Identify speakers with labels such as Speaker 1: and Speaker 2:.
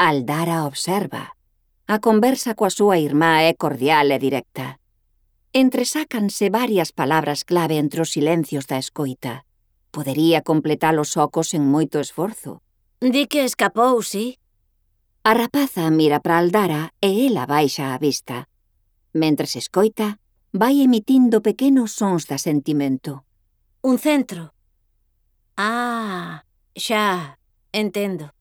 Speaker 1: Aldara observa. A conversa coa súa irmá é cordial e directa. Entresácanse varias palabras clave entre os silencios da escoita. Podería completalos só sen moito esforzo.
Speaker 2: Di que escapou, sí?
Speaker 1: A rapaza mira para Aldara e ela baixa a vista. Mentres escoita, vai emitindo pequenos sons de asentimento.
Speaker 2: Un centro. Ah, xa, entendo.